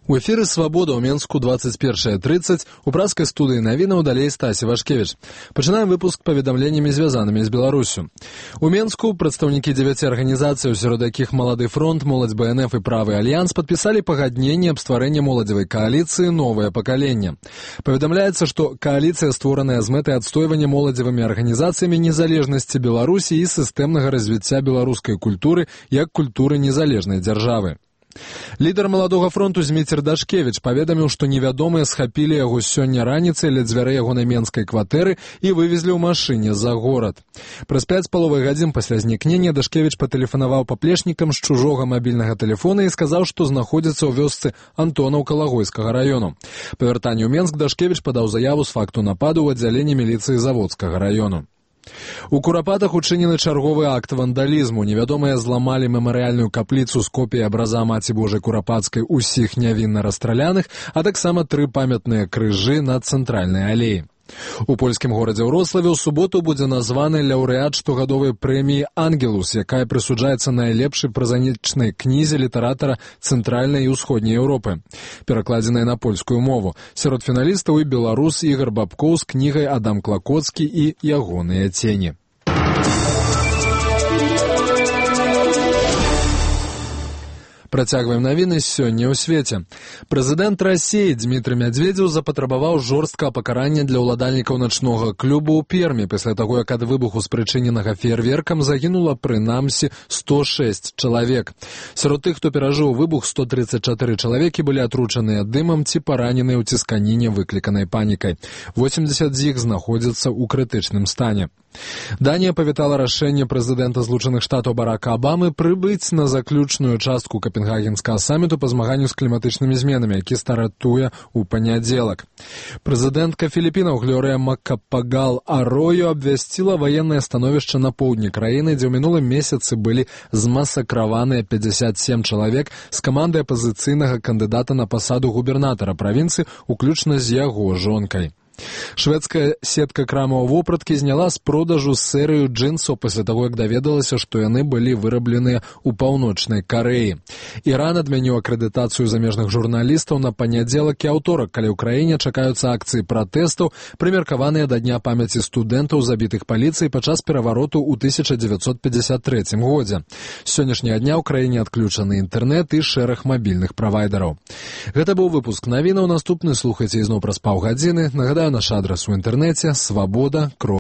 У эфіры «Свабода» ў Менску 21:30. У праскай студыі навінаў далей Стасі Вашкевіч. Пачынаем выпуск паведамленнямі, звязанымі з Беларусю. У Менску прадстаўнікі 9 арганізацый, сярод якіх «Малады фронт», «Моладзь БНФ» і «Правы альянс» падпісалі пагадненне аб стварэнні моладзевай кааліцыі «Новае пакаленне». Паведамляецца, што кааліцыя створаная з мэтай адстойвання моладзевымі арганізацыямі незалежнасці Беларусі і сістэмнага развіцця беларускай культуры як культуры незалежнай дзяржавы. Лідар «Маладога фронту» Зміцер Дашкевіч паведаміў, што невядомыя схапілі яго сёння раніцай ля дзвярэй ягонай менскай кватэры і вывезлі ў машыне за горад. Праз 5,5 гадзін пасля знікнення Дашкевіч патэлефанаваў паплечнікам з чужога мабільнага тэлефона і сказаў, што знаходзіцца ў вёсцы Антонаўка Лагойскага раёну. Па вяртанні ў Менск Дашкевіч падаў заяву з факту нападу ў аддзяленні міліцыі Заводскага раёну. У Курапатах учынены чарговы акт вандалізму. Невядомыя зламалі мемарыяльную капліцу з копіяй абраза Маці Божай Курапацкай усіх нявінна расстраляных, а таксама 3 памятныя крыжы на цэнтральнай алеі. У польскім горадзе Ўроцлаве ў суботу будзе названы лаўрэат штогадовай прэміі «Ангелус», якая прысуджаецца найлепшай празанічнай кнізе літаратара Цэнтральнай і Ўсходняй Еўропы, перакладзенай на польскую мову. Сярод фіналістаў і беларус Ігар Бабкоў з кнігай «Адам Клакоцкі» і «Ягоныя цені». Працягваем навіны сёння ў свеце. Прэзідэнт Расіі Дмітрый Мядзведзеў запатрабаваў жорсткага пакарання для ўладальнікаў начнога клубу ў Пермі пасля таго, як ад выбуху, спрычыненага феерверкам, загінула прынамсі 106 чалавек. Сярод тых, хто перажыў выбух, 134 чалавекі былі атручаныя дымам ці параненыя ў цісканіне, выкліканай панікай. 80 з іх знаходзяцца ў крытычным стане. Данія павітала рашэнне прэзідэнта Злучаных Штатаў Барака Абамы прыбыць на заключную частку Капенгагенскага саміту па змаганню з кліматычнымі зменамі, які стартуе ў панядзелак. Прэзідэнтка Філіпінаў Глорыя Макапагал Арою абвясціла ваеннае становішча на поўдні краіны, дзе ў мінулым месяцы былі змасакраваныя 57 чалавек з камандай апазіцыйнага кандыдата на пасаду губернатара правінцыі, уключна з яго жонкай. Шведская сетка крамаў вопраткі зняла з продажу серыю джинсаў пасля таго, як даведалася, што яны былі вырабленыя ў Паўночнай Карэі. Іран адмяніў акрэдытацыю замежных журналістаў на панядзелак і аўторак, калі ў краіне чакаюцца акцыі пратэстаў, прымеркаваныя да дня памяці студэнтаў, забітых паліцыяй падчас перавароту ў 1953 годзе. З сённяшняга дня ў краіне адключаны інтэрнэт і шэраг мабільных правайдараў. Гэта быў выпуск навінаў. Наступны слухайце ізноў праз паўгадзіны. Нагадаю, наш адрас у інтэрнэце свабода.